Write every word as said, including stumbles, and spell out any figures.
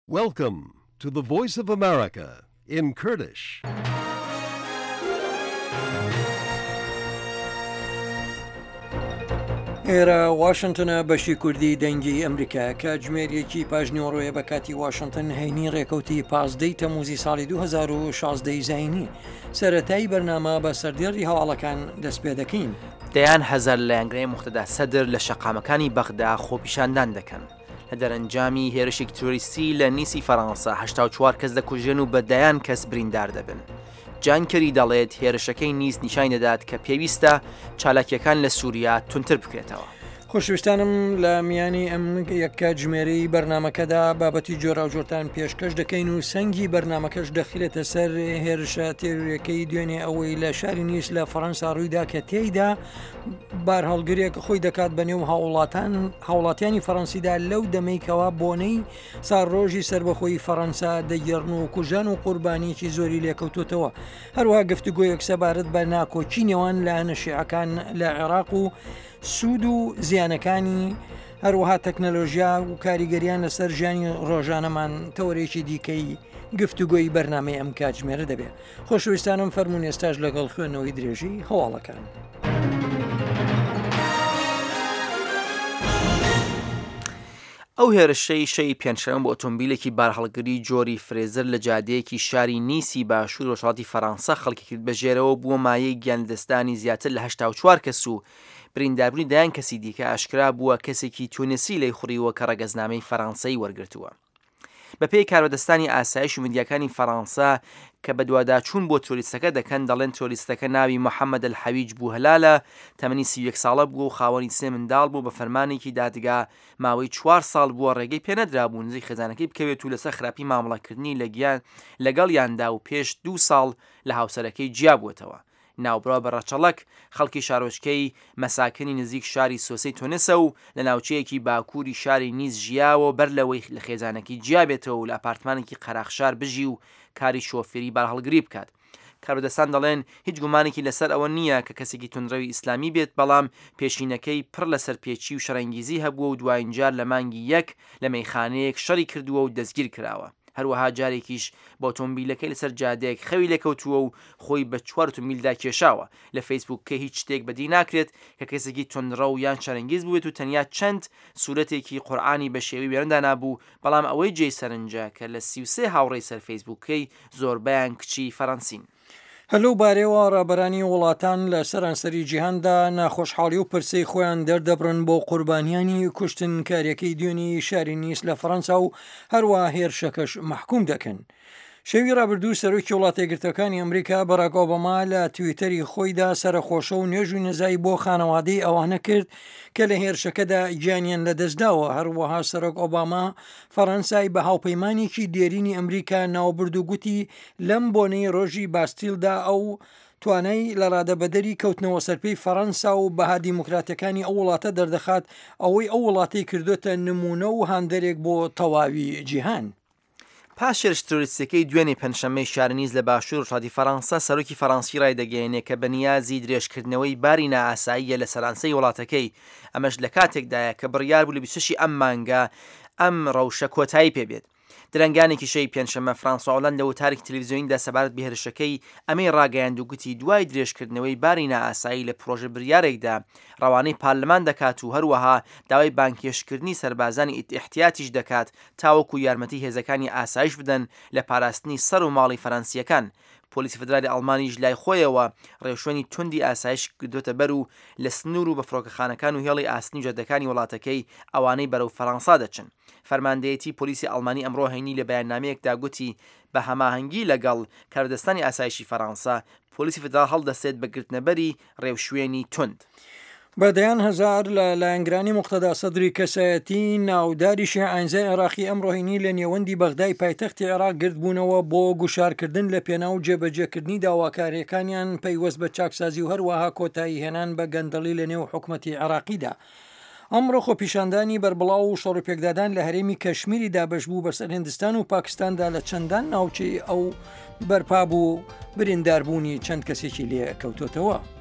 Welcome to the Voice of America in Kurdish. ئێرە واشنتنە بەشی کوردی دەنگی ئەمریکا کاتژمێر یەکی پاژنیوەڕۆیە بە کاتی واشنتن هەینی ڕێکەوتی پازدەی تەموزی ساڵی دوو هەزار و شازدە ی زایینی. سەرەتای بەرنامە بە سەردێڕی هەواڵەکان دەست پێ دەکەین. دەیان هەزار لایەنگرانی موقتەدا سەدر لە شەقامەکانی بەغدا خۆپیشاندان دەکەن. لە دەرەنجامی هێرشێکی تیرۆریستی لە نیسی فەرەنسا هەشتا و چوار کەس دەکوژرێن و بە دەیان کەس بریندار دەبن. جان کێری دەڵێت هێرشەکەی نیس نیشانی دەدات کە پێویستە چالاکیەکان لە سووریا توندتر بکرێتەوە. خۆشویستانم لە میانی ئەم یەک کاتژمێرەی بەرنامەکەدا بابەتی جۆراوجۆرتان پێشکەش دەکەین و سەنگی بەرنامەکەش دەخرێتە سەر هێرشە تێرۆریەکەی دوێنێ ئەوەی لە شاری نیس لە فەرەنسا ڕوویدا کە تێیدا بارهەڵگرێک خۆی دەکات بە نێو هاوڵاتان هاوڵاتیانی فەرەنسیدا لەو دەمەی کەوا بۆنەی ساڵڕۆژی سەربەخۆیی فەرەنسا دەگێڕن و کوژان و قوربانیەکی زۆری لێکەوتوتەوە. هەروەها گفتوگۆیەک سەبارەت بە ناکۆکی نێوان لایەنە شیعەکان لە عێراق و سوود و زیانەکانی، هەروەها تەکنەلۆژیا و کاریگەریان لەسەر ژیانی ڕۆژانەمان تەوەرێکی دیکەی گفتوگۆی بەرنامەی ئەم کاتژمێرە دەبێت. خۆشەویستانم فەرموون ئێستاش لەگەڵ خوێندنەوەی درێژی هەواڵەکان. ئەو هێرشەی شەوی پێنجشەممە بۆ ئۆتۆمبیلێکی بارهەڵگری جۆری فرێزەر لە جادەیەکی شاری نیسی باشوور ڕۆژهەڵاتی فەرەنسا خەڵکی کرد بە ژێرەوە بووە مایەی گیانلەدەستدانی زیاتر لە هەشتا و چوار کەس و برینداربوونی دەیان کەسی دیکە. ئاشکرا بووە کەسێکی تونسی لێیخوڕیوە کە ڕەگەزنامەی فەرەنسەی وەرگرتووە. بەپێی کاربەدەستانی ئاسایش و میدیاکانی فەرەنسا کە بەدواداچوون بۆ ترۆریستەکە دەکەن، دەڵێن ترۆریستەکە ناوی محەمەد ئەلحەویج بوهلالە، تەمەنی سی و یەک ساڵە بووە و خاوەنی سێ منداڵ بووە، بە فەرمانێکی دادگا ماوەی چوار ساڵ بووە ڕێگەی پێنەدرابوو نزیک خێزانەکەی بکەوێت و لەسەر خراپی مامەڵەکردنی لەگەڵیاندا و پێش دوو ساڵ لە هاوسەرەکەی جیابووەتەوە. ناوبراو بە ڕەچەڵەک خەڵکی شارۆچکەی مەساکنی نزیک شاری سۆسەی تونسە و لە ناوچەیەکی باکووری شاری نیس ژیاوە بەر لەوەی لە خێزانەکەی جیابێتەوە و لە ئەپارتمانێکی قەراخ شار بژی و کاری شۆفێری بارهەڵگری بکات. کاربەدەستان دەڵێن هیچ گومانێکی لەسەر ئەوە نییە کە کەسێکی توندڕەوی ئیسلامی بێت، بەڵام پێشینەکەی پڕ لە سەرپێچی و شەڕەنگیزی هەبووە و دوایین جار لە مانگی یەک لە مەیخانەیەک شەڕی کردووە و دەستگیر کراوە. هەروەها جارێکیش بە ئۆتۆمبیلەکەی لەسەر جادەیەک خەوی لێکەوتووە و خۆی بە چوار ئۆتۆمبیلدا کێشاوە. لە فەیسبووکەی هیچ شتێک بەدی ناکرێت کە کەسێکی توندڕەو یان شەرەنگیز بووێت و تەنیا چەند سوورەتێکی قورئانی بە شێوەی وێنە دانابوو، بەڵام ئەوەی جێی سەرنجە کە لە سی و سێ هاوڕێی سەر فەیسبووکەی زۆربەیان کچی فەرەنسین. هەر لەو بارەیەوە ڕابەرانی وڵاتان لە سەرانسەری جیهاندا ناخۆشحاڵی و پرسەی خۆیان دەردەبڕن بۆ قوربانیانی کوشتنکاریەکەی دوێنی شاری نیس لە فەڕەنسا و هەروەها هێرشەکەش مەحکوم دەکەن. شەوی ڕابردوو سەرۆکی وڵاتە یەکگرتووەکانی ئەمریکا باراک ئۆباما لە تویتەری خۆیدا سەرەخۆشە و نوێژ و نزای بۆ خانەوادەی ئەوانە کرد کە لە هێرشەکەدا گیانیان لەدەستداوە. هەروەها سەرۆک ئۆباما فەڕەنسای بە هاوپەیمانێکی دێرینی ئەمریکا ناوبرد و گوتی لەم بۆنەی ڕۆژی باستیلدا ئەو توانای لە ڕادەبەدەری کەوتنەوە سەرپێی فەڕەنسا و بەها دیموکراتیەکانی ئەو وڵاتە دەردەخات، ئەوەی ئەو وڵاتەی کردوتە نمونە و هاندەرێک بۆ تەواوی جیهان. پاش هێرش ترۆریستیەکەی دوێنێ پێنجشەممەی شاری نیس لە باشوور ڕۆژهەڵاتی فەرەنسا، سەرۆکی فەرەنسی ڕایدەگەیەنێ کە بەنیازی درێژکردنەوەی باری نائاساییە لە سەرانسەری وڵاتەکەی، ئەمەش لە کاتێکدایە کە بڕیار بوو لە بیست و شەش ی ئەم مانگە ئەم ڕەوشە کۆتایی پێبێت. درەنگانێکی شەوی پێنجشەممە فرانسوا ئۆلاند لە وتارێکی تەلەڤیزیۆنیدا سەبارەت بە هێرشەکەی ئەمەی ڕاگەیاند و گوتی دوای درێژکردنەوەی باری نائاسایی لە پرۆژە بریارێکدا ڕەوانەی پارلمان دەکات و هەروەها داوای بانگهێشتکردنی سەربازانی ئیحتیاتیش دەکات تاوەکو یارمەتی هێزەکانی ئاسایش بدەن لە پاراستنی سەر و ماڵی فەرەنسییەکان. پۆلیسی فیدرالی ئەڵمانیش لای خۆیەوە ڕێوشوێنی توندی ئاسایش گرتووەتە بەر و لە سنوور و بە فڕۆکەخانەکان و هێڵی ئاسنی و جادەکانی وڵاتەکەی ئەوانەی بەرەو فەرەنسا دەچن. فەرماندەیەتی پۆلیسی ئەڵمانی ئەمڕۆ هەینی لە بەیاننامەیەکدا گوتی بە هەماهەنگی لەگەڵ کاربەدەستانی ئاسایشی فەرەنسا، پۆلیسی فیدراڵ هەڵدەستێت بە گرتنەبەری ڕێوشوێنی توند. بە دەیان هەزار لە لایەنگرانی موقتەدا سەدری کەسایەتی ناوداری شیعە ئاینزای عێراقی ئەمڕۆ هەینی لە نێوەندی بەغدای پایتەختی عێراق گردبوونەوە بۆ گوشارکردن لە پێناو جێبەجێکردنی داواکارییەکانیان پەیوەست بە چاکسازی و هەروەها کۆتایی هێنان بە گەندەڵی لە نێو حکومەتی عێراقیدا. ئەمڕۆ خۆپیشاندانی بەربڵاو و شەڕوپێکدادان لە هەرێمی کەشمیری دابەشبوو بەسەر هندستان و پاکستاندا لە چەندان ناوچەی ئەو بەرپا بوو برینداربوونی چەند کەسێکی لێ کەوتۆتەوە.